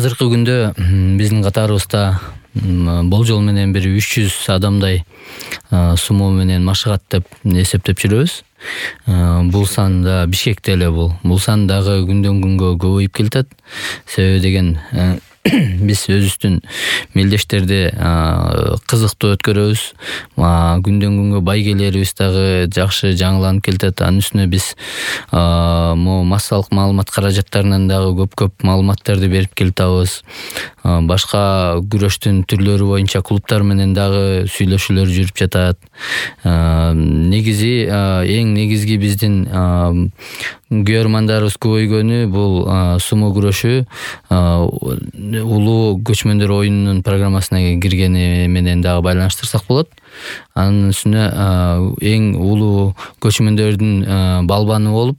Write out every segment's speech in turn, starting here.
Азыркы күндө биздин катарыбызда болжол менен бир 300 адамдай сумо менен машыгат деп эсептеп жүрөбүз. Бул сан да Бишкекте эле бул сан дагы күндөн күнгө көбөйүп келатат. Себеби деген биз өзүбүздүн мелдештерди кызыктуу өткөрөбүз. Күндөн күнгө байгелерибиз дагы жакшы жаңыланып келатат. Анын үстүнө биз массалык маалымат каражаттарынан дагы көп маалыматтарды берип келатабыз. Башка күрөштүн түрлөрү боюнча клубтар менен дагы сүйлөшүүлөр жүрүп жатат. Эң негизги биздин күйөрмандарыбыз көбөйгөнү бул сумо күрөшү улуу көчмөндөр оюнунун программасына киргени менен дагы байланыштырсак болот. Анын үстүнө эң улуу көчмөндөрдүн балбаны болуп,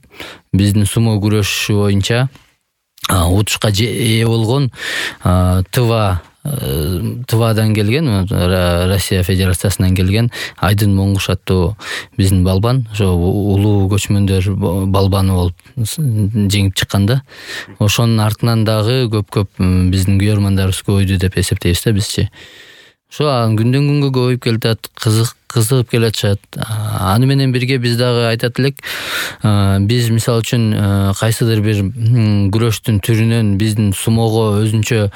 биздин сумо күрөшү боюнча утушка ээ болгон ТВАдан келген, Россия Федерациясынан келген Айдын Моңгуш аттуу биздин балбан, ошо улуу көчмөндөр балбаны болуп жеңип чыкканда, ошонун артынан дагы көп биздин күйөрмандарыбыз көбөйдү деп эсептейбиз да бизчи. Ошо күндөн күнгө көбөйүп келатат, кызыгып келатышат. Аны менен бирге биз дагы айтат элек, биз мисалы үчүн кайсыдыр бир күрөштүн түрүнөн биздин сумого өзүнчө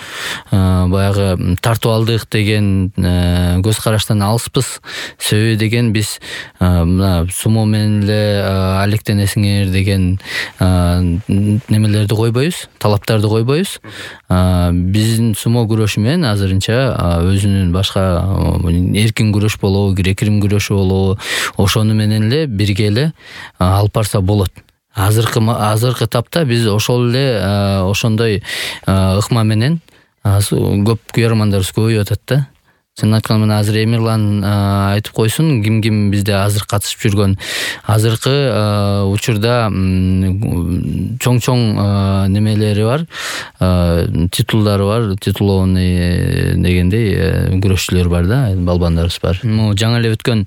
баягы тартып алдык деген көз караштан алыспыз. Себеби деген биз мына сумо менен эле алектенесиңер деген немелерди койбойбуз, талаптарды койбойбуз. Биздин сумо күрөшү менен азырынча өзүнүн башка эркин күрөш болобу, грек-рим күрөшү болобу, ошону менен эле бирге эле алып барса болот. Азыркы тапта биз ошол эле ошондой ыкма менен көп күйөрмандарыбыз көбөйүп атат да. Чынын айтканда мына азыр Эмирлан айтып койсун, ким бизде азыр катышып жүргөн. Азыркы учурда чоң немелери бар, титулдары бар, титулованный дегендей күрөшчүлөр бар да, балбандарыбыз бар. Жаңы эле өткөн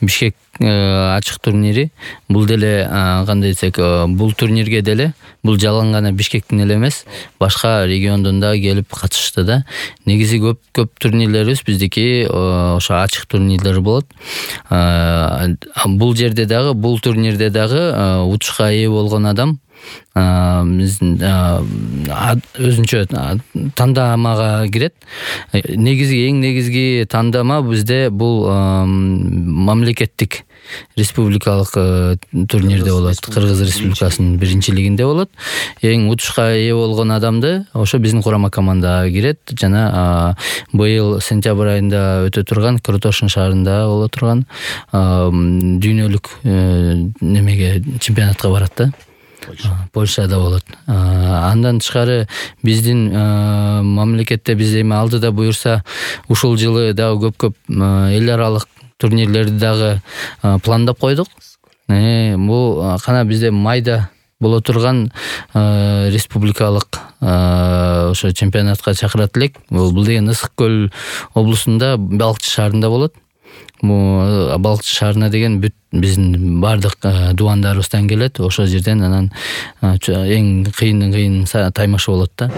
Бишкек ачык турнири, бул деле кандай десек, бул турнирге деле бул жалаң гана Бишкектин эле эмес, башка региондон да келип катышты да. Негизи көп турнирлерибиз биздики ошо ачык турнирлер болот. Бул жерде дагы, бул турнирде дагы утушка ээ болгон адам биздин өзүнчө тандамага кирет. Эң негизги тандама бизде бул мамлекеттик республикалык турнирде болот, Кыргыз Республикасынын биринчилигинде болот. Эң утушка ээ болгон адамды ошо биздин курама командага кирет. Жана быйыл сентябрь айында өтө турган Кротошин шаарында боло турган дүйнөлүк немеге чемпионатка барат да. Польшада болот. Андан тышкары биздин мамлекетте биз эми алдыда буюрса ушул жылы дагы көп эл аралык турнирлерди дагы пландап койдук. Бул кана бизде майда боло турган республикалык ошо чемпионатка чакырат элек. Бул деген Ысык көл облусунда Балыкчы шаарында болот. Балыкчы шаарына деген бүт биздин бардык дубандарыбыздан келет. Ошол жерден анан эң кыйын таймашы болот да.